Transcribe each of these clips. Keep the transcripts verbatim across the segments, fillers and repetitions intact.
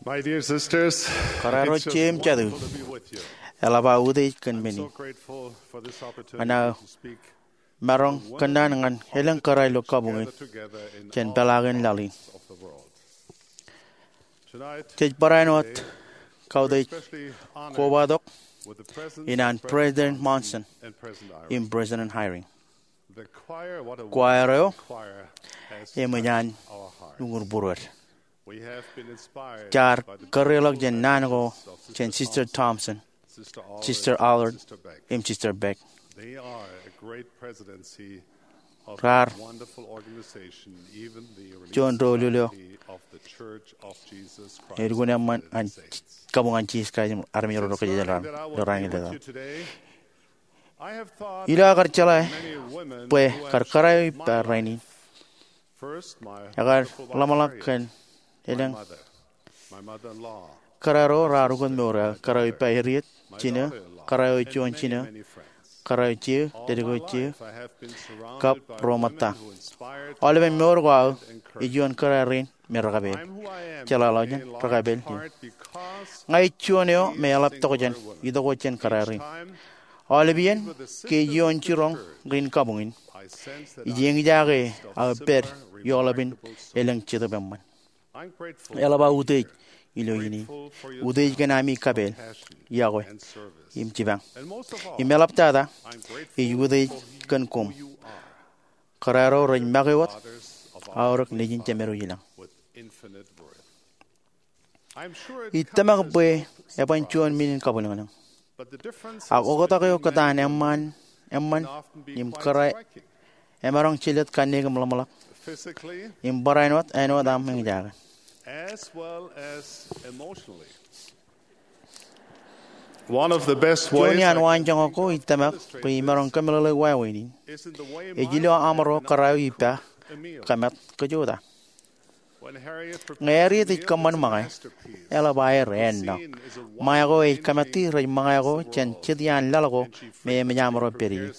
My dear sisters, kōrā ro jeiū im jatū, eḷap aō utiej kōn men in. Ña ij maroñ kōnono ñan elōñ kōrā ilo kabuñ in jān peḷaakin laḷ in. Jej barāinwōt kautiej kobatok ikōṇaan President Monson im President Eyring. Choir eo eṃōj an uñūr būruod. Jaar kōreḷọk jān naan ko jān Sister Thompson, Sister Allard, im Sister Beck. Raar juon doulul eo ālikin eṃṃan an kabuñ an Jisōs Kraist an armej ro rej kōjatdikdik ilo raan in. Ilo aō kar jeḷā bwe kar kōrā eo ippa rainin, ekar ḷōmṇak kōn elōñ kōrā ro raar ukōt mour, kōrā eo ippa Harriet, jinō, kōrā eo juon jinō, kōrā eo jeiū, ledik eo jeiū, kab ro ṃōtta. Aolepen mour ko aō ej juon kōrā rein me rekapeel. Jeḷāḷọkjeṇ, rekapeel in. Ña ij juon eo me eḷap tokjān itok wōt jān kōrā rein. Aolep iien ke ij ioon jiroñ rin kabuñ in, ij eñjake aō pād ioḷapin elōñ jetōb eṃṃan. Eḷap aō utiej ilo iien in. Utiej kōn ami kapeel, iọkwe, im jipañ. Im eḷaptata, ij utiej kōn koṃ, kōrā ro rej make wōt aorōk Nejin Jemedwōj ilañ. Ij tōmak bwe eban juon men in kabwilōñlōñ. Ak oktak eo kōtaan eṃṃan, eṃṃan im kōrā emaroñ jelōt kanniōk im ḷōmṇak im barāinwōt āinwōt aṃ eñjake. Juon iaan waanjoñak ko ij tōmak bwe imaroñ kōmeḷeḷeik wāween in ej ilo aṃro kōrā eo ippa kōmat kōjota. Ñe Harriet ej kōṃṃan ṃōñā, eḷap aer ennọ. Ṃōñā ko ej kōmati rej ṃōñā ko jān jet iaan laḷ ko me eṃōj aṃro pād ie.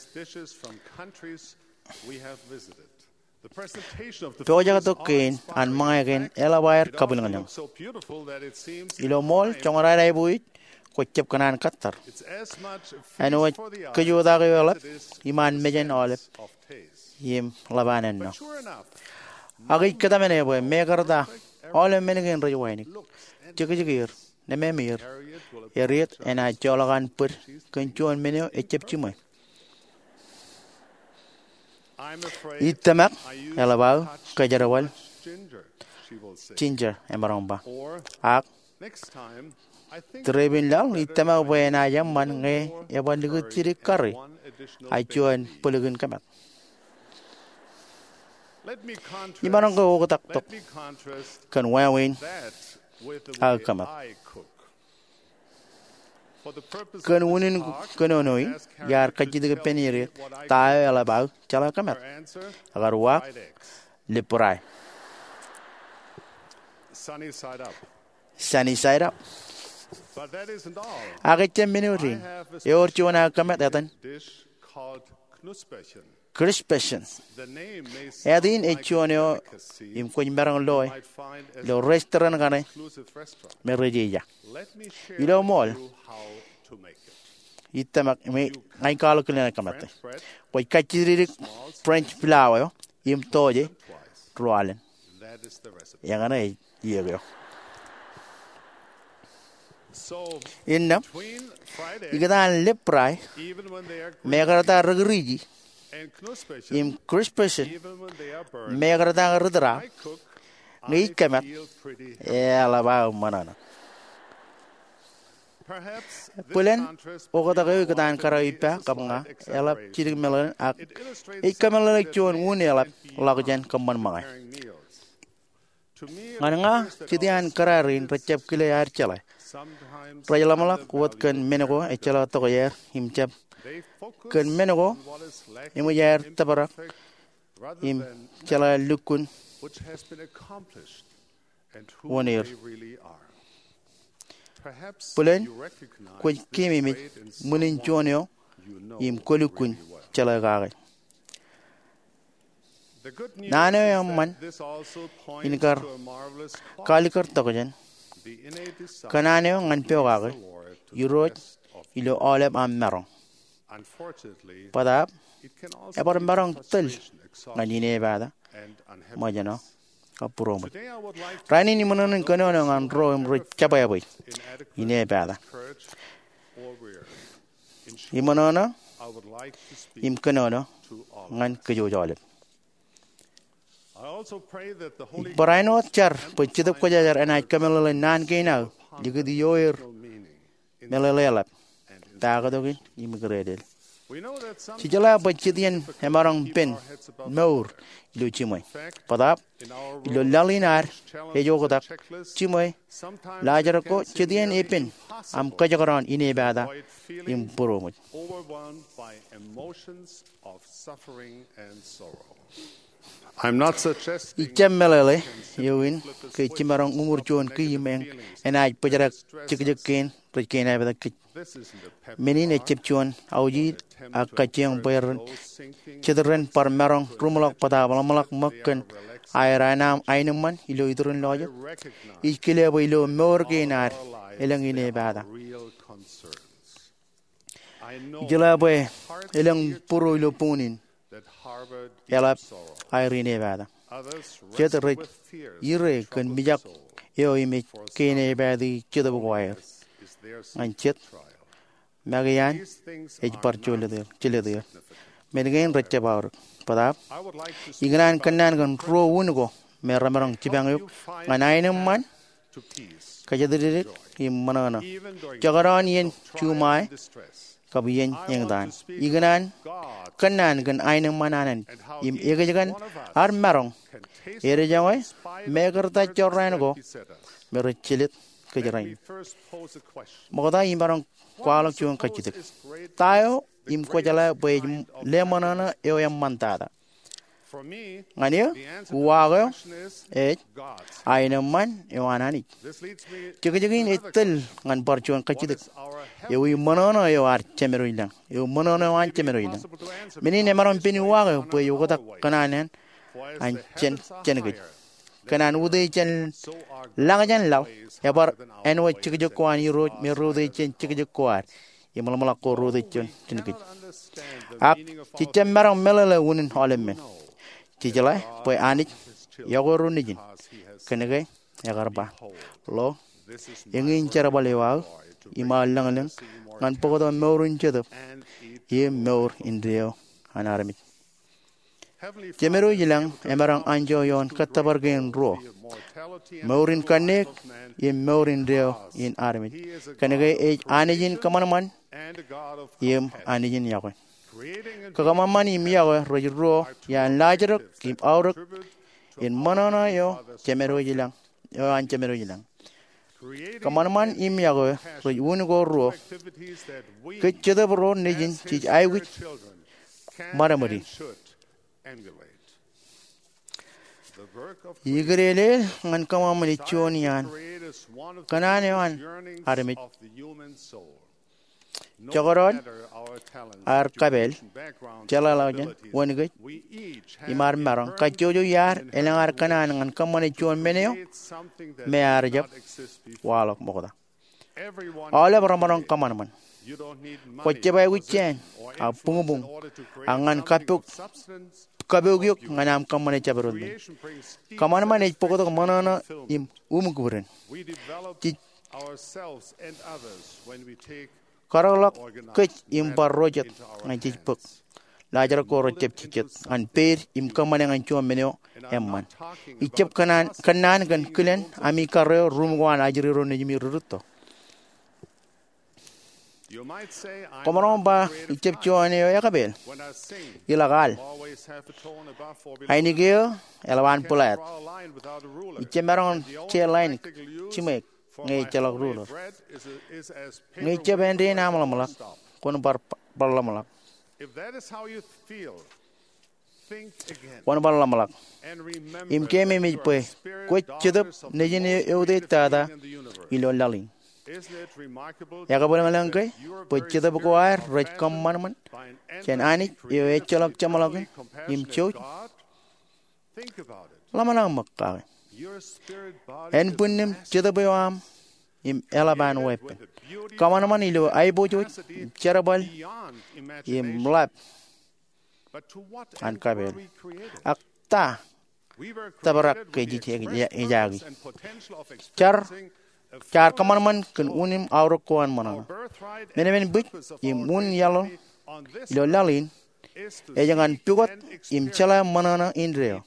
Pojak tok kein an ṃōñā kein eḷap aer kabwilōñlōñ. Ilo ṃool, joñan aiboojoj kwōj jab kōṇaan kōttar. Āinwōt kōjota eo eḷap iṃaan mejān aolep im ḷap an ennọ. Ak ij kōtmāne bwe mekarta aolep men kein rej wānōk, jekjekier, nemāmeir, Harriet enaaj joḷọk an bōd kōn juon men eo ejab jiṃwe. Ij tōmak eḷap aō kōjerbal Ginger, emaroñ ba. Ak tūrepen laḷ ij tōmak bwe enaaj eṃṃan ñe eban likūt jidik kari ak juon bōlikin kōmat. Imaroñ ke oktak tok kōn wāween aō kōmat. Kōn unin kōnono in, iar kajjitōk ippān Harriet ta eo eḷap aō jeḷā kōmat. Ekar uwaak, lip rai. Sunny side up. Ak ejjab men eo dein. Ewōr juon aō kōmat etan Knusperchen. Etan in ej juon eo im kwōj maroñ loe ilo restaurant kaṇe me rej eja. Ilo ṃool, ij tōmak ña ij kwaḷọk kilen aō kōmat. Kwōj kajjitōk French flour eo im tọọje ruo alen. Eñṇe ej iiōk eo. Innām, ikōtaan lip rai, mekarta ri-kūriji, im Knusperchen, mekarta ri-tūraak, ñe ij kōmat, eḷap aō ṃōṇōṇō. Bōlen, oktak eo ikōtaan kōrā eo ippa kab ña eḷap jidik meḷeḷein, ak ej kōmeḷeḷeik juon un eḷap ḷọk jān kōṃṃan ṃōñā. Ñan ña, jet iaan kōrā rein rejjab kile aer jeḷā. Rej ḷōmṇak wōt kōn men ko ejjeḷọk tokjāer im jab kōn men ko eṃōj aer tōprak im jeḷā lukkuun wōn er. Bōlen kwōj keememej ṃwilin juon eo im kwōlukkuun jeḷā kake. Naan eo eṃṃan in kar kaalikkar tokjān Kōṇaan eo ñan pokake Irooj ilo aolep aṃ maroñ. Bōtaab, ebar maroñ tōl ñan inepata, ṃōjṇọ, kab būroṃōj. Rainin iṃōṇōṇō in kōnono ñan ro im rej jebwābwe inepata. Iṃōṇōṇō im kōnono ñan kōj aolep. Ij bar āinwōt jar bwe Jetōb Kwōjarjar enaaj kōmeḷeḷe naan kein aō likūt ioer meḷeḷe eḷap, taktō kein im ikōrōtlel. Jej jeḷā bwe jet iien emaroñ pen mour ilo jiṃwe. Bōtaab, ilo laḷ in ad ej oktak jiṃwe, laajrak ko jet iien epen aṃ kōjekdọọn inepata im būroṃōj. Ij jab meḷeḷe eoon ke jemaroñ uṃwij juon kiiō im enaaj bōjrak jekjek kein rej kein epād kōj. Men in ejjab juon aujid, ak kajjioñ bwe ren, jet ren bar maroñ ruṃḷọk bōtaab ḷōmṇak ṃōk kōn aer aenōṃṃan ilo iturin lọjet. Ij kile bwe ilo mour kein ad elōñ inepata. Ij jeḷā bwe elōñ būruo ilo boñin in eḷap aer inepata. Jet rej ire kōn mijak eo im ej kein epād i jetōb ko aer. Ñan jet, make an ej bar jelōt er. Men kein rej jab aorōk. Bōtaab, ikōṇaan kōnnaan kōn ruo wūn ko me remaroñ jipañ eok ñan aenōṃṃan, kōjatdikdik im ṃōṇōṇō, jekdọọn iien juṃae kab iien eñtaan. Ikōṇaan kōnnaan kōn aenōṃṃan an Anij im ekōjkan ad maroñ edejoñe, mekarta jorrāān ko me rej jelōt kōj rainin. Ṃokta imaroñ kwaḷọk juon kajjitōk. Ta eo im kwōjeḷā bwe ej leṃōṇōṇō eo eṃṃantata? Ñan eō, uwaak eo ej aenōṃṃan eo an Anij. Jekjek in ej tōl ñan bar juon kajjitōk. Ewi ṃōṇōṇō eo ad jemedwōj lañ? Ewi ṃōṇōṇō eo an jemedwōj lañ? Men in emaroñ pen uwaak eo bwe ej oktak kōṇaan an jān, jān kōj. Kōn an utiej jān lañ jān laḷ, ebar āinwōt jekjek ko an Irooj me reutiej jān jekjek ko ad im ḷōmṇak ko reutiej jān, jān kōj. Ak jej jab maroñ meḷeḷe unin aolep men. Jej jeḷā bwe Anij iọkwe ro nejin. Kōnke ekar ba, lo, eñin jerbal eo aō im aō lañlōñ ñan bōktok mour in Jetōb im mour indeeo an armej. Jemedwōj lañ emaroñ anjọ ioon kōttōpar kein ruo, mour in kanniōk im mour indeeo in armej. Kōnke ej Anij in kōṃanṃan im Anij in iọkwe. Kōṃanṃan im iọkwe rej ruo iaan laajrak im aorōk in ṃōṇōṇō eo jemedwōj lañ, eo an jemedwōj lañ. Kōṃanṃan im iọkwe rej wūn ko ruo kōj Jetōb ro nejin jej aikuj ṃadṃōdi. Ikōtelel ñan kōṃṃan ej juon iaan kōṇaan eo an armej. Jekdọọn ad kapeel, jeḷāḷọkjeṇ, wōn kōj, im ad maroñ, kajjojo iaad elōñ ad kōṇaan ñan kōṃṃane juon men eo me ear jab waḷọk ṃokta. Aolep remaroñ kōṃanṃan. Kwō jab aikuj jāān, ak buñbuñ, ak ñan kapok, kapok eok ñan aṃ kōṃṃane jabdewōt men. Kōṃanṃan ej bōktok ṃōṇōṇō im uṃ kūrden. Jej karōkḷọk kōj im bar ro jet ñan jej bōk. Laajrak ko rej jab jejjet ñan peid im kōṃṃane ñan juon men eo eṃṃan. Ij jab kōnnaan, kōnnaan kōn kilen ami karreo ruṃ ko an ajri ro nejimi ri rūtto. Koṃaroñ ba ij jab juon eo ekapeel. Ilọk al. Ainikien eḷap an bōlāāt. Ij jab maroñ je lain jiṃwe ñe ejjeḷọk ruler. Ñe ij jab āindein aṃ ḷōmṇak, kwōn bar, bar ḷōmṇak. Kwōn bar ḷōmṇak. Im keememej bwe kwōj Jetōb Nejin eo eutiej tata ilo laḷ in. Ekabwilōñlōñ ke bwe Jetōb ko ad rej kōṃanṃan jān Anij eo ejjeḷọk jeṃḷọkin im jouj? Ḷōmṇak ṃōk kake. Ānbwinnem Jetōb eo aṃ im eḷap an weeppān. Kōṃanṃan ilo aiboojoj, jerbal, im ḷap an kapeel. Ak ta tōprak ke jej ejaki? Jaar, jaar kōṃanṃan kōn unin aorōk ko an ṃōṇōṇō. Menemen bwij im unin iaḷ ilo laḷ in ej ñan pukot im jeḷā ṃōṇōṇō indeeo.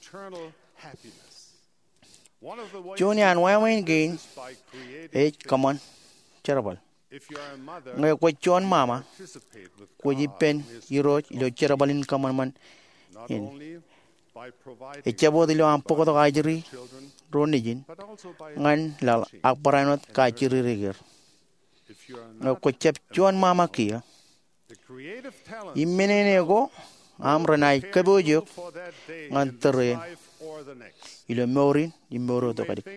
Juon iaan wāween kein ej kōṃṃan jerbal. Ñe kwōj juon ṃaṃa, kwōj ippān Irooj ilo jerbal in kōṃanṃan in. Ejjab wōt ilo aṃ bōktok ajri ro nejin ñan laḷ ak barāinwōt kajjirere er. Ñe kwōj jab juon ṃaṃa kiiō, im men in eo ko aṃ renaaj kōpooj eok ñan tōre in ilo mour in im mour eo tok ālik.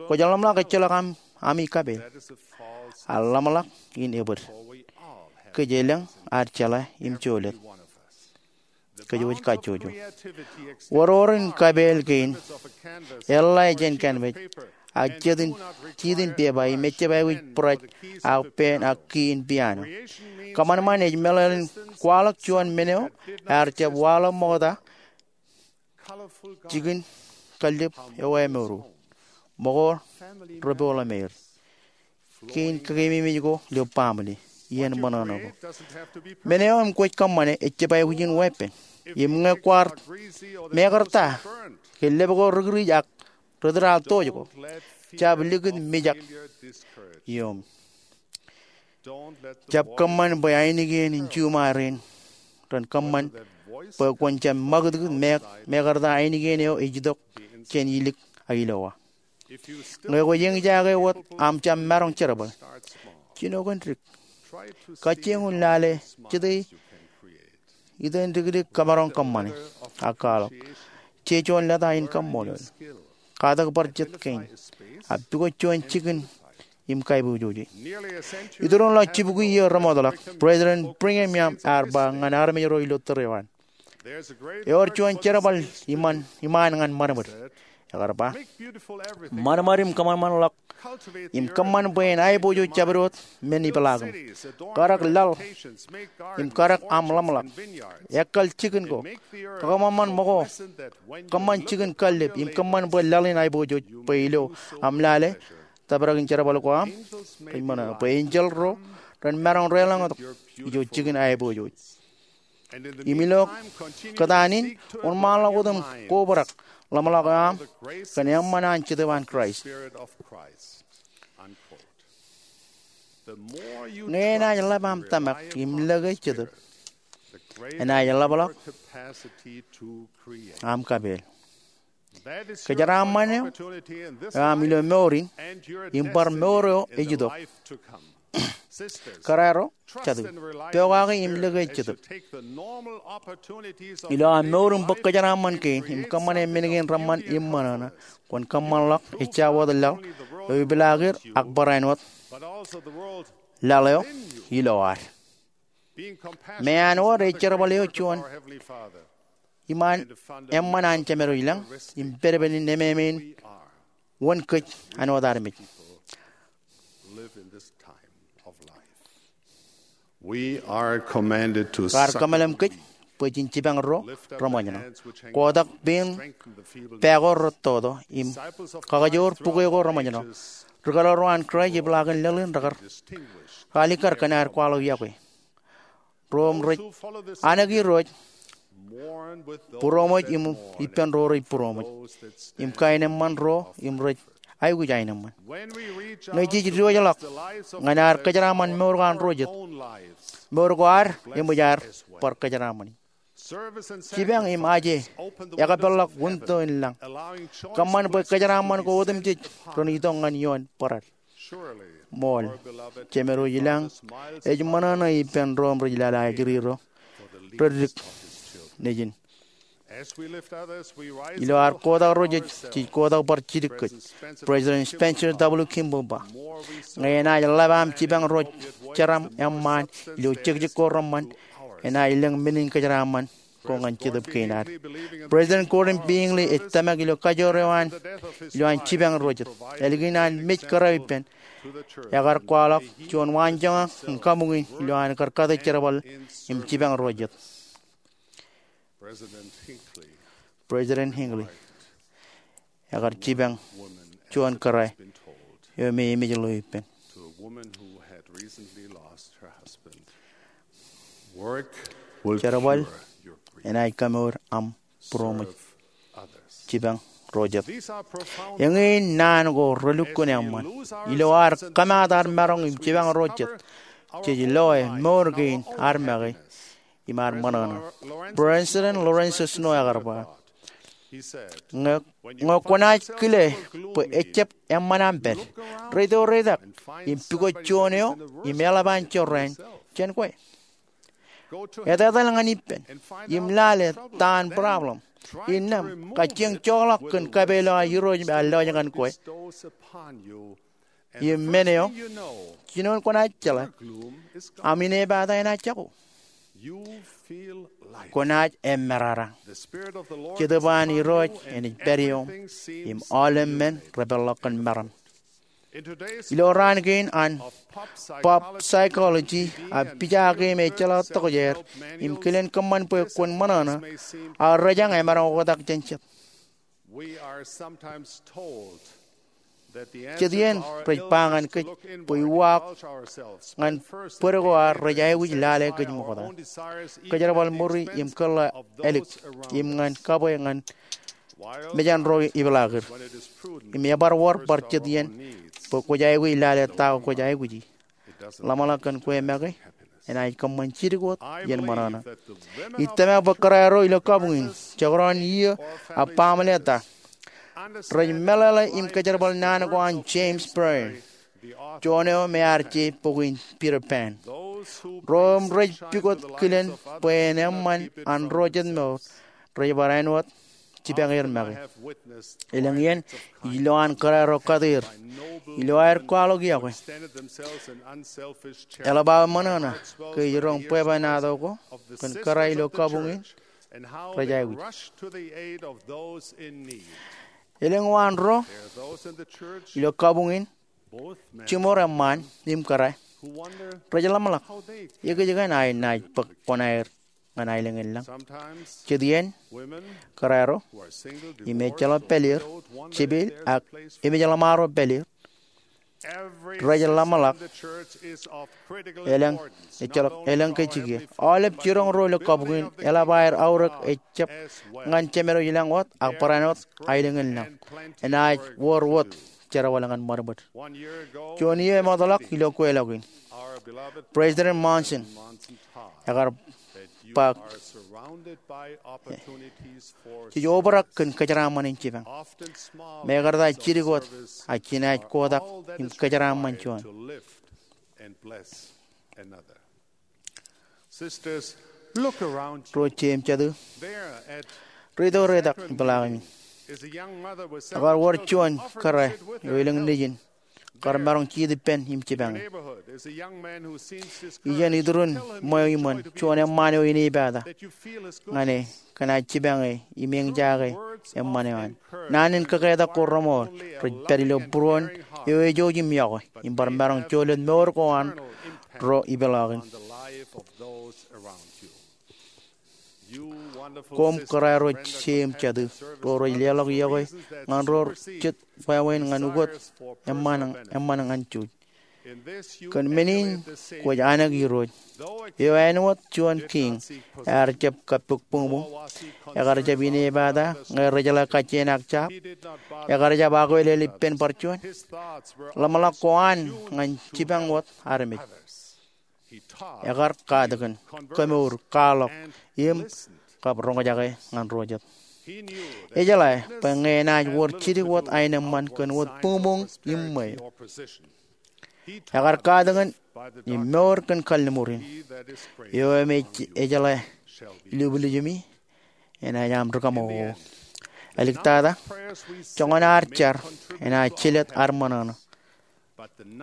Kwōj ḷōmṇak ejjeḷọk aṃ ami kapeel. Ak ḷōmṇak in ebōd. Kōj elōñ ad jeḷā im jolōt. Kōj wōj kajjojo. Oror in kapeel kein eḷḷā jān canvas, ak jitin, jitin pepa im ejjab aikuj brush, ak pen, ak key in piano. Kōṃanṃan ej meḷeḷein kwaḷọk juon men eo ear jab waḷọk ṃokta jikin kallib eo ae mour. Ṃokta repoḷemeir. Kein kōkeememej ko ilo baaṃle, iien ṃōṇōṇō ko. Men eo im kwōj kōṃṃane ejjab aikuj in weeppān. Im ñe kwaar mekarta ke lōb ko ri-krij ak ri-tōl tōj ko, jab likūt mijak ioom. Jab kōṃṃan bwe ainikien in juṃae rein ren kōṃṃan bwe kwōn jab ṃakūtkūt me, mekarta ainikien eo ej itok jān ilik ak ilowā. Ñe kwōj eñjake wōt aṃ jab maroñ jerbal, jino kōn dik. Kajjioñ in lale jete itok in dikdik kōmaroñ kōṃṃane ak kwaḷọk. Jej juon lōta in kaṃṃoolol. Katak bar jet kein. Ak pukot juon jikin im kaiboojoj. Itōn ḷọk jibukwi iiō remootḷọk, President Brigham Young ear ba ñan armej ro ilo tōre eo an, ewōr juon jerbal iṃaan, iṃaan ñan ṃadṃōd. Ekar ba, ṃadṃōd im kōṃanṃanḷọk im kōṃṃan bwe en aiboojoj jabdewōt men ipeḷaakim. Karak laḷ im karak aṃ ḷōmṇak. Ekkal jikin ko. Kōṃanṃan ṃōko. Kōṃṃan jikin kallib im kōṃṃan bwe laḷ in aiboojoj bwe ilo aṃ lale tōprak in jerbal ko aṃ, rej ṃōṇōṇō bwe enjeḷ ro ren maroñ reḷọñtok ijo jikin aiboojoj. Im ilo kōtaan in, wōnṃaanḷọk wōt im kobrak ḷōmṇak eo aṃ kōn eṃṃan an Jetōb an Kraist. Ñe enaaj ḷap aṃ tōmak im lōke Jetōb, enaaj ḷapḷọk aṃ kapeel. Kōjeraaṃṃan eo aṃ ilo mour in im bar mour eo ej itok. Kōrā ro, jatū, pokake im lōke Jetōb. Ilo aṃ mour im bōk kōjeraaṃṃan kein im kōṃṃane men kein reṃṃan im ṃōṇōṇō, kwōn kōṃṃanḷọk ejja wōt laḷ eo ipeḷaak er ak barāinwōt laḷ eo ilo ad. Meanwōd ej jerbal eo juon iṃaan eṃṃan an Jemedwōj ilañ im pedped in ememej in wōn kōj āinwōt armej. Kwaar kōmeḷeḷe kōj bwe jen jipañ ro reṃōjṇọ. Kotak pein pā ko rettoto im kakajoor bukwōj ko reṃōjṇọ. Ri-kōḷar ro an Kraist epeḷaakin laḷ in rekar alikkar kōn aer kwaḷọk yokwe. Ro im rej anōk Irooj būroṃōj im ippān ro rej būroṃōj im kaenōṃṃan ro im rej aikuj aenōṃṃan. Ñe jej diwōjḷọk ñan ad kōjeraaṃṃan mour ko an ro jet, mour ko ad eṃōj ad bar kōjeraaṃṃani. Jipañ im aje ekpeḷḷọk winto in lañ. Kōṃṃan bwe kōjeraaṃṃan ko otemjej ren itok ñan ioon bōrad. Ṃool, Jemedwōj ilañ ej ṃōṇōṇō ippān ro im rej lale ajri ro, rej dik nejin. Ilo ad kotak ro jej, jej kotak bar jidik kōj. President Spencer W. Kimball ba, ñe enaaj ḷap aṃ jipañ ro jeram eṃṃaan ilo jekjek ko reṃṃan, enaaj lōñ men in kōjeraaṃṃan ko ñan Jetōb Kein ad. President Gordon B. Hinckley ej tōmak ilo kajoor eo an ilowaan jipañ ro jet. Ālikin an mej kōrā ippān, ekar kwaḷọk juon waanjoñak im kabuñ in ilowaan kar kate jerbal im jipañ ro jet. President Hinckley ekar jipañ juon kōrā eo me emej ḷeo ippān. Jerbal enaaj kamour aṃ būroṃōj jipañ ro jet. Eñin naan ko relukkuun eṃṃan. Ilo ad kōmaat ad maroñ im jipañ ro jet, jej loe mour kein ad make im ad ṃōṇōṇō. President Lorenzo Snow ekar ba, ñe kwōnaaj kile bwe ejjab eṃṃan aṃ pād, reitok reitak im pukot juon eo im eḷap an jorrāān jān kwe. Etetal ñan ippān im lale ta an problem. Innām, kajjioñ joḷọk kōn kapeḷḷọk an Irooj me ear lọjien kwe. Im men eo, jinoin kwōnaaj jeḷā, aṃ inepata enaaj jako. Kwōnaaj eṃṃerara. Jetōb an Irooj enaaj pād ioṃ im aolep men repeḷḷọk kōn meram. Ilo raan kein an pop psychology, a pija kein ejjeḷọk tokjāer im kilen kōṃṃan bwe kwōn ṃōṇōṇō, a rejañ emaroñ oktak jān jet. Jet iien rej ba ñan kōj bwe uwaak ñan bōd ko ad rej aikuj lale kōj ṃokta. Kōjerbal ṃuri im kōḷḷā ālik im ñan kabwe ñan mejān ro ipeḷaakin. Im ebar wōr bar jet iien bwe kwōj aikuj lale ta ko kwōj aikuji. Ḷōmṇak kōn kwe make enaaj kōṃṃan jidik wōt iien ṃōṇōṇō. Ij tōmak bwe kōrā ro ilo kabuñ in, jekdọọn iiō ak baaṃle ta, rej meḷeḷe im kōjerbal naan ko an James Barrie, juon eo me ear je bok in Peter Pan. Ro im rej pukot kilen bwe en eṃṃan an ro jet mour, rej bar āinwōt jipañ er make. Elōñ iien, ij lo an kōrā ro kate er ilo aer kwaḷọk yokwe, eḷap aō ṃōṇōṇō ke ej roñ bwebwenato ko kōn kōrā ilo kabuñ in rej aikuj. Elōñ waan ro ilo kabuñ in, jiṃor eṃṃaan im kōrā, rej ḷōmṇak ekōjkan aer naaj bōk kuṇaer ñan aelōñ in lañ. Jet iien, kōrā ro im ejjeḷọk pāl er, jepel ak emej ḷōṃaro pāl er, rej ḷōmṇak elōñ, ejjeḷọk elōñ ke jikier. Aolep jiroñ ro ilo kabuñ in eḷap aer aorōk ejab ñan Jemedwōj ilañ wōt ak barāinwōt aelōñ in lañ. Enaaj wōr wōt jerbal ñan ṃadṃōd. Juon iiō eṃootḷọk ilo kweilọk in, President Monson ekar ba, jej obrak kōn kōjeraaṃṃan in jipañ. Mekarta jidik wōt ak jinaaj kotak im kōjeraaṃṃan juon. Ro jeim jatū, reitok reitak ipeḷaakiṃ in. Ekar wōr juon kōrā eo elōñ nejin kar maroñ jiit ippān im jipañ e. Ijeṇ iturūṃ ṃweo iṃōn juon eṃṃaan eo inepata ñan e, kōn aō jipañ e im eñjaake eṃṃan eo an. Naan in kōketak ko reṃool rej pād ilo būruon eo ejouj im yokwe im bar maroñ jolōt mour ko an ro ipeḷaakin. Koṃ kōrā ro jeim jatū ro rej leḷọk yokwe ñan ro jet wāween ñan ukōt eṃṃan, eṃṃan ñan jouj. Kōn men in kwōj anōk Irooj, eo āinwōt juon kiiñ, ear jab kappok buñbuñ, ekar jab inepata ñe rejeḷā kajjien ak jab, ekar jab akwelel ippān bar juon. Ḷōmṇak ko an ñan jipañ wōt armej. Ekar katakin, kemour, kwaḷọk, im kab roñjake ñan ro jet. Ejeḷā bwe ñe enaaj wōr jidik wōt aenōṃṃan kōn wōt buñbuñ im ṃweo. Ekar katakin im mour kōn kalliṃur in. Eo me ej, ejeḷā ilublujuṃi, enaaj aṃ rikaṃool. Āliktata, joñan ad jar enaaj jilet ad ṃōṇōṇō.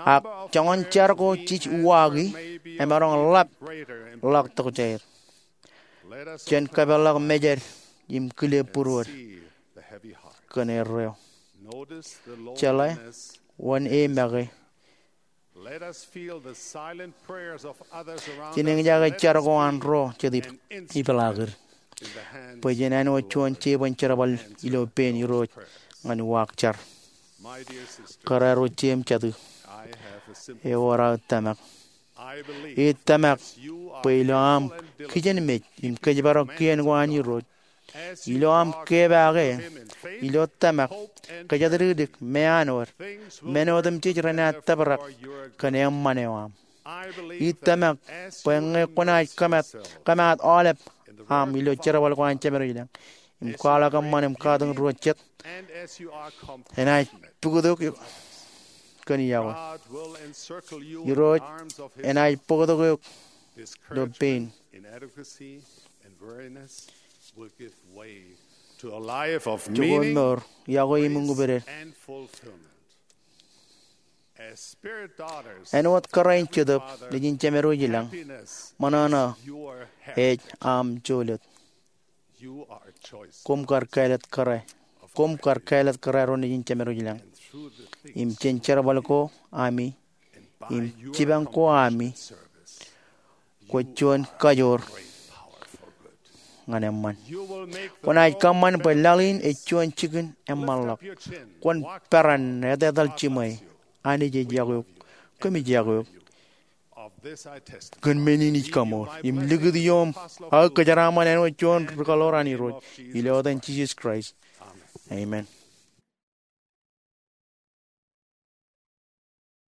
Ak joñan jar ko jej uwaaki emaroñ ḷap ḷọk tokjāer. Jen kapeḷḷọk mejād im kile būruod kōn erreo. Jeḷā wōn e make. Jen eñjake jar ko an ro jet ipeḷaakid bwe jen āinwōt juon jebōn jerbal ilo pein Irooj ñan uwaak jar. Kōrā ro jeiū im jatū, ewōr aō tōmak. Ij tōmak bwe ilo aṃ kijenmej im kōjparok kien ko an Irooj, ilo aṃ kepaake ilo tōmak, kōjatdikdik, meanwōd, men otemjej renaaj tōprak kōn eṃṃan eo aṃ. Ij tōmak bwe ñe kwōnaaj kōmaat aolep aṃ ilo jerbal ko an Jemedwōj ilañ im kwaḷọk eṃṃan im katakin Irooj jet, enaaj bōktok eok kōn iọkwe. Irooj enaaj bōktok eok ilo pein. Jokwe mour, iọkwe im ñūpded. Āinwōt kōrā in Jetōb nejin Jemedwōj ilañ, ṃōṇōṇō ej aṃ jolōt. Koṃ kar kāālōt kōrā. Koṃ kar kāālōt kōrā ro nejin Jemedwōj ilañ. Im jān jerbal ko ami im jipañ ko ami, kwōj juon kajoor ñan eṃṃan. Kwōnaaj kōṃṃan bwe laḷ in ej juon jikin eṃṃanḷọk. Kwōn peran etetal jiṃwe. Anij ej iọkwe eok. Kōmij iọkwe eok. Kōn men in ij kaṃool im likūt ioṃ aō kōjeraaṃṃan āinwōt juon ri-kaḷoor an Irooj, ilo etan Jisōs Kraist, amen.